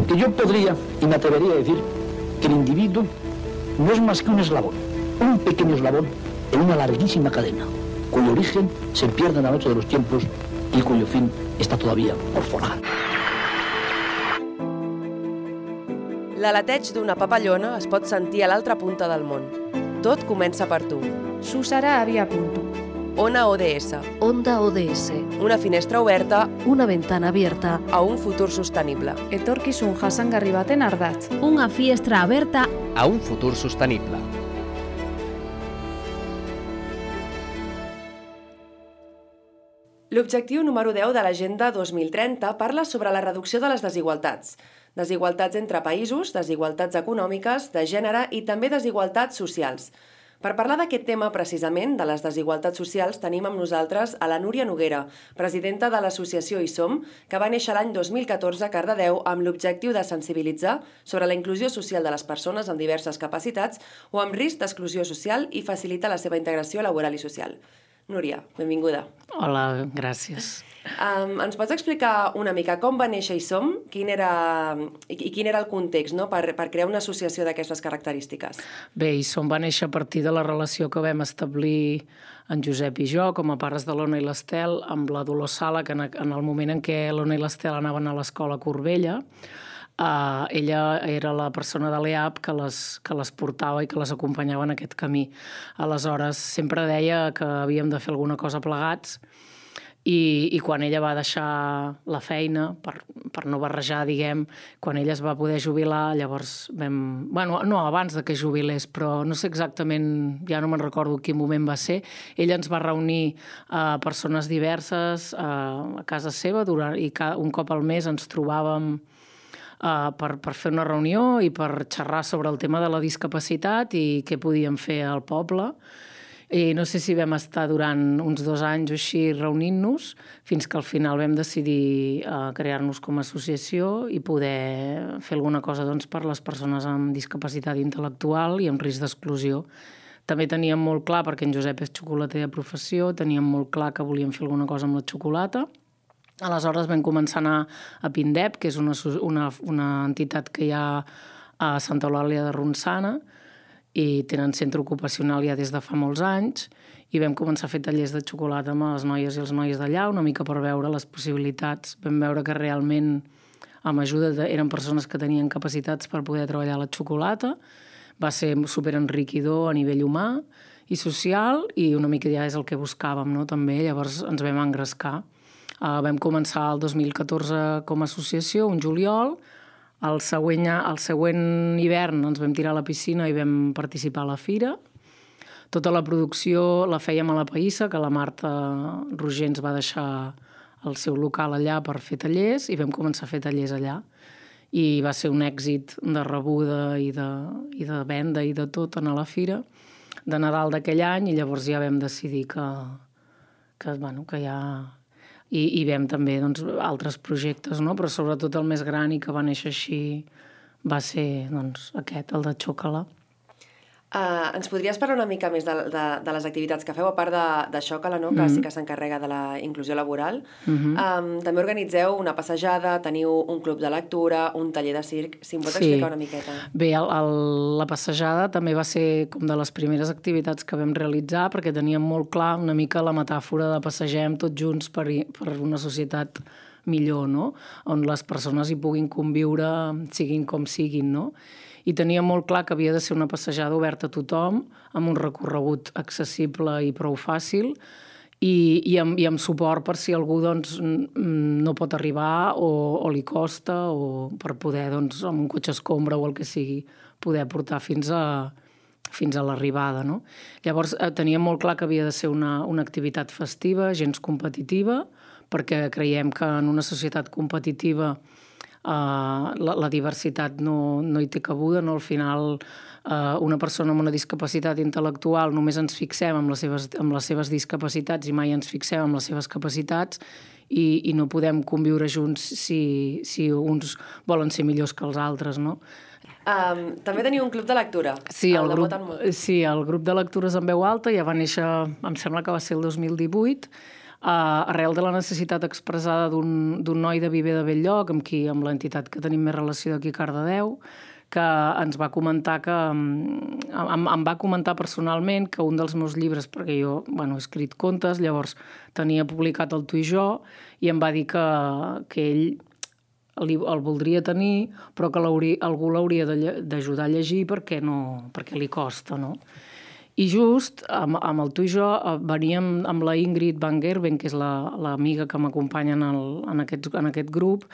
Porque yo podría y me atrevería a decir que el individuo no es más que un eslabón, un pequeño eslabón en una larguísima cadena, cuyo origen se pierde en la noche de los tiempos y cuyo fin està todavía por forjar. L'aleteig d'una papallona es pot sentir a l'altra punta del món. Tot comença per tu. Su sarà a via punto. Ona ODS. Onda ODS. Una finestra oberta Una ventana abierta a un futur sostenible. Etorkizun jasangarri baten ardatz. Una finestra aberta a un futur sostenible. L'objectiu número 10 de l'Agenda 2030 parla sobre la reducció de les desigualtats. Desigualtats entre països, desigualtats econòmiques, de gènere i també desigualtats socials. Per parlar d'aquest tema precisament, de les desigualtats socials, tenim amb nosaltres a la Núria Noguera, presidenta de l'associació Hi Som, que va néixer l'any 2014 a Cardedeu amb l'objectiu de sensibilitzar sobre la inclusió social de les persones amb diverses capacitats o amb risc d'exclusió social i facilitar la seva integració laboral i social. Núria, benvinguda. Hola, gràcies. Ens pots explicar una mica com va néixer Hi Som? Quin era el context, no? per crear una associació d'aquestes característiques? Bé, Hi Som va néixer a partir de la relació que vam establir en Josep i jo, com a pares de l'Ona i l'Estel, amb la Dolors Sala, que en el moment en què l'Ona i l'Estel anaven a l'escola a Corbella, ella era la persona de l'EAP que les portava i que les acompanyava en aquest camí. Aleshores, sempre deia que havíem de fer alguna cosa plegats i quan ella va deixar la feina, per no barrejar, diguem, quan ella es va poder jubilar, llavors vam... no, abans de que jubilés, però no sé exactament, ja no me'n recordo quin moment va ser, ella ens va reunir persones diverses a casa seva i un cop al mes ens trobàvem per fer una reunió i per xerrar sobre el tema de la discapacitat i què podíem fer al poble. I no sé si vam estar durant uns 2 anys o així reunint-nos, fins que al final vam decidir crear-nos com a associació i poder fer alguna cosa per les persones amb discapacitat intel·lectual i amb risc d'exclusió. També teníem molt clar, perquè en Josep és xocolater de professió, teníem molt clar que volíem fer alguna cosa amb la xocolata. Aleshores vam començar a anar a Pindep, que és una entitat que hi ha a Santa Eulàlia de Ronçana, i tenen centre ocupacional ja des de fa molts anys, i vam començar a fer tallers de xocolata amb les noies i els nois d'allà, una mica per veure les possibilitats. Vam veure que realment, amb ajuda, eren persones que tenien capacitats per poder treballar la xocolata. Va ser superenriquidor a nivell humà i social, i una mica ja és el que buscàvem, no? També llavors ens vam engrescar. Vam començar el 2014 com a associació, un juliol. El següent hivern ens vam tirar a la piscina i vam participar a la fira. Tota la producció la fèiem a la Païssa, que la Marta Roger ens va deixar el seu local allà per fer tallers, i vam començar a fer tallers allà. I va ser un èxit de rebuda i de venda i de tot a la fira de Nadal d'aquell any, i llavors ja vam decidir que ja... I vam també altres projectes, no? Però sobretot el més gran i que va néixer així va ser aquest, el de Xocala. Ens podries parlar una mica més de les activitats que feu, a part de Xocala, no? Que sí que s'encarrega de la inclusió laboral. També organitzeu una passejada, teniu un club de lectura, un taller de circ. Si em pots explicar una miqueta. Bé, la passejada també va ser com de les primeres activitats que vam realitzar, perquè teníem molt clar una mica la metàfora de passegem tots junts per una societat millor, no? On les persones hi puguin conviure, siguin com siguin, no? I tenia molt clar que havia de ser una passejada oberta a tothom, amb un recorregut accessible i prou fàcil, i amb suport per si algú no pot arribar o li costa, o per poder, amb un cotxe escombra o el que sigui, poder portar fins a l'arribada, no? Llavors teníem molt clar que havia de ser una activitat festiva, gens competitiva, perquè creiem que en una societat competitiva la diversitat no hi té cabuda, no? Al final una persona amb una discapacitat intel·lectual només ens fixem en les seves discapacitats i mai ens fixem en les seves capacitats, i no podem conviure junts si uns volen ser millors que els altres, no? També teniu un club de lectura. Sí, el grup de lectures en veu alta ja va néixer, em sembla que va ser el 2018, arrel de la necessitat expressada d'un noi de Viver de Bell-lloc, amb l'entitat que tenim més relació d'aquí a Cardedeu, que ens va comentar em va comentar personalment que un dels meus llibres, perquè jo he escrit contes, llavors tenia publicat el Tu i jo, i em va dir que ell el voldria tenir, però que algú l'hauria d'ajudar a llegir perquè li costa, no? I just amb el Tu i jo veníem amb la Ingrid Van Gerben, que és l'amiga que m'acompanya en aquest grup,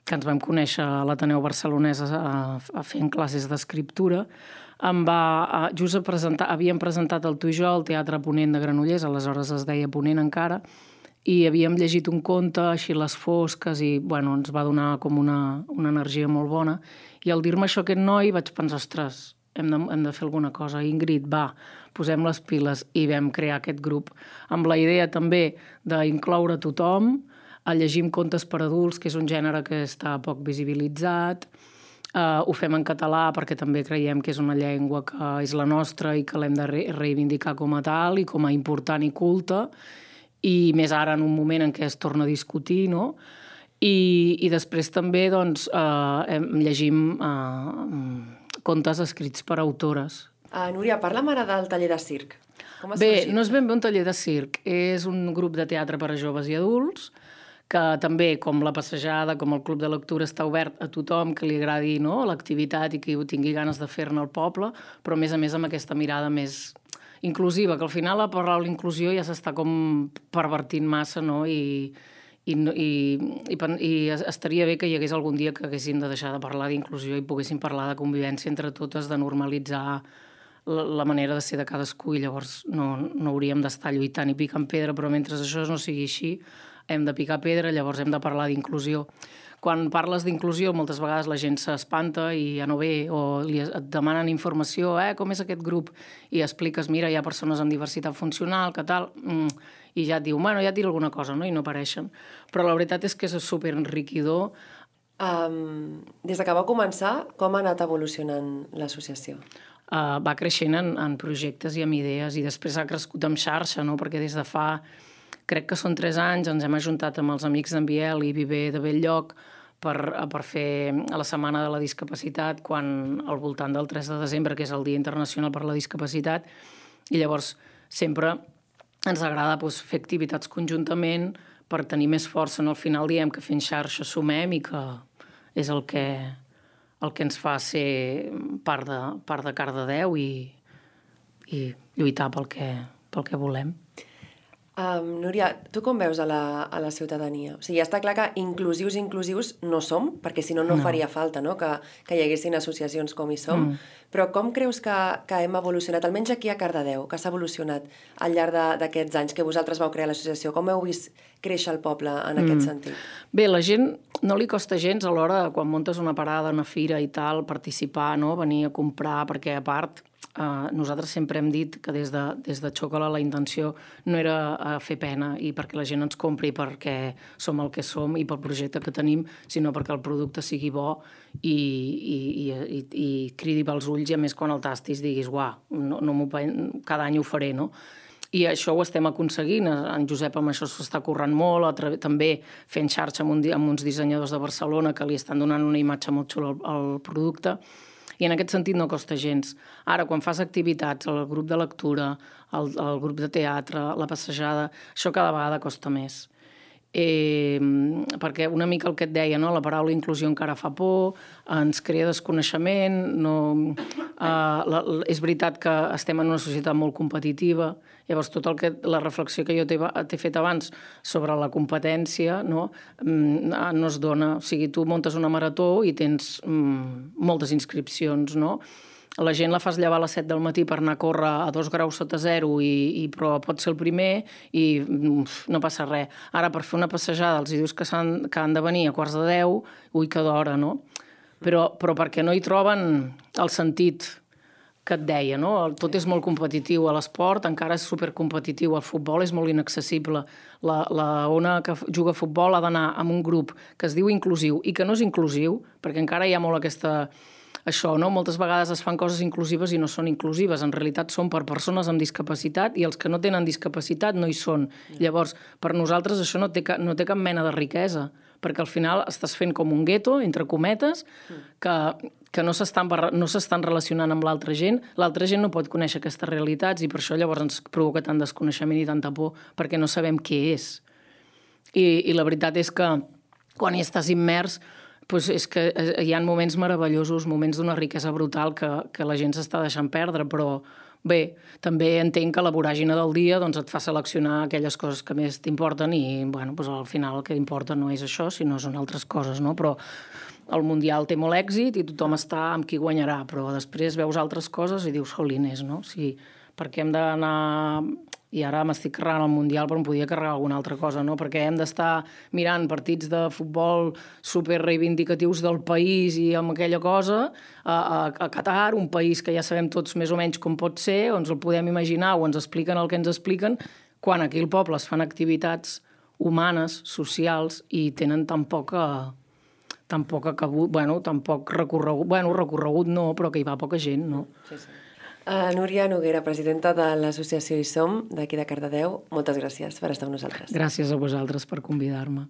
que ens vam conèixer a l'Ateneu Barcelonès fent classes d'escriptura. Just havíem presentat el Tu i jo al Teatre Ponent de Granollers, aleshores es deia Ponent encara, i havíem llegit un conte, així Les fosques, i ens va donar com una energia molt bona. I al dir-me això aquest noi vaig pensar, ostres, hem de fer alguna cosa. Ingrid, va, posem les piles, i vam crear aquest grup amb la idea també d'incloure tothom, a llegir contes per adults, que és un gènere que està poc visibilitzat. Ho fem en català perquè també creiem que és una llengua que és la nostra i que l'hem de reivindicar com a tal i com a important i culta, i més ara en un moment en què es torna a discutir, no? I després també llegim contes escrits per autores. Núria, parla'm ara del taller de circ. Com ha sorgit? Bé, no és ben bé un taller de circ, és un grup de teatre per a joves i adults, que també, com la passejada, com el club de lectura, està obert a tothom que li agradi l'activitat i que tingui ganes de fer-ne al poble, però a més amb aquesta mirada més inclusiva, que al final la paraula inclusió ja s'està com pervertint massa, no? I estaria bé que hi hagués algun dia que haguéssim de deixar de parlar d'inclusió i poguéssim parlar de convivència entre totes, de normalitzar la manera de ser de cadascú, i llavors no hauríem d'estar lluitant i picant pedra, però mentre això no sigui així hem de picar pedra, llavors hem de parlar d'inclusió. Quan parles d'inclusió, moltes vegades la gent s'espanta i ja no ve, o et demanen informació, com és aquest grup? I expliques, mira, hi ha persones amb diversitat funcional, que tal, i ja et diu, ja et diré alguna cosa, no? I no apareixen. Però la veritat és que és superenriquidor. Des que va començar, com ha anat evolucionant l'associació? Va creixent en projectes i amb idees, i després ha crescut en xarxa, no? Perquè des de fa... Crec que són 3 anys, ens hem ajuntat amb els amics d'en Biel i Viver de Bell-lloc per fer la Setmana de la Discapacitat, quan al voltant del 3 de desembre, que és el Dia Internacional per la Discapacitat, i llavors sempre ens agrada fer activitats conjuntament per tenir més força. Al final diem que fent xarxa sumem i que és el que ens fa ser part de Cardedeu i lluitar pel que volem. Núria, tu com veus a la ciutadania? O sigui, està clar que inclusius no som, perquè si no faria falta, no? Que hi haguessin associacions com hi som, però com creus que hem evolucionat, almenys aquí a Cardedeu, que s'ha evolucionat al llarg d'aquests anys que vosaltres vau crear l'associació? Com heu vist créixer el poble en aquest sentit? Bé, la gent no li costa gens a l'hora, quan muntes una parada, una fira i tal, participar, no? Venir a comprar, perquè a part... nosaltres sempre hem dit que des de Xocola la intenció no era fer pena i perquè la gent ens compri perquè som el que som i pel projecte que tenim, sinó perquè el producte sigui bo i cridi pels ulls, i a més quan el tastis diguis, cada any ho faré, no? I això ho estem aconseguint. En Josep amb això s'està currant molt, també fent xarxa amb uns dissenyadors de Barcelona que li estan donant una imatge molt xula al producte. I en aquest sentit no costa gens. Ara, quan fas activitats, el grup de lectura, el grup de teatre, la passejada, això cada vegada costa més. Perquè una mica el que et deia, no? La paraula inclusió encara fa por, ens crea desconeixement, és veritat que estem en una societat molt competitiva, llavors la reflexió que jo t'he fet abans sobre la competència no es dona. O sigui, tu muntes una marató i tens moltes inscripcions, no? La gent la fas llevar a les 7 del matí per anar a córrer a 2 graus sota zero, però pot ser el primer i no passa res. Ara, per fer una passejada, els dius que han de venir a 9:45, ui, que d'hora, no? Però perquè no hi troben el sentit que et deia, no? Tot és molt competitiu. A l'esport encara és supercompetitiu. El futbol és molt inaccessible. La ona que juga a futbol ha d'anar amb un grup que es diu inclusiu i que no és inclusiu, perquè encara hi ha molt aquesta això, no? Moltes vegades es fan coses inclusives i no són inclusives. En realitat són per persones amb discapacitat i els que no tenen discapacitat no hi són. Llavors, per nosaltres això no té cap mena de riquesa, perquè al final estàs fent com un gueto, entre cometes, que no s'estan relacionant amb l'altra gent. L'altra gent no pot conèixer aquestes realitats i per això llavors ens provoca tant desconeixement i tanta por, perquè no sabem què és. I la veritat és que quan hi estàs immers doncs és que hi ha moments meravellosos, moments d'una riquesa brutal que la gent s'està deixant perdre, però bé, també entenc que la voràgina del dia doncs, et fa seleccionar aquelles coses que més t'importen i doncs, al final el que importa no és això, sinó són altres coses, no? Però el Mundial té molt èxit i tothom està amb qui guanyarà, però després veus altres coses i dius, jolines, no? Sí, perquè hem d'anar... I ara m'estic carregant el Mundial, però em podia carregar alguna altra cosa, no? Perquè hem d'estar mirant partits de futbol super reivindicatius del país i amb aquella cosa a Qatar, un país que ja sabem tots més o menys com pot ser, o ens el podem imaginar o ens expliquen el que ens expliquen, quan aquí al poble es fan activitats humanes, socials, i tenen tan poc recorregut no, però que hi va poca gent, no? Sí. Núria Noguera, presidenta de l'associació Hi Som, d'aquí de Cardedeu, moltes gràcies per estar amb nosaltres. Gràcies a vosaltres per convidar-me.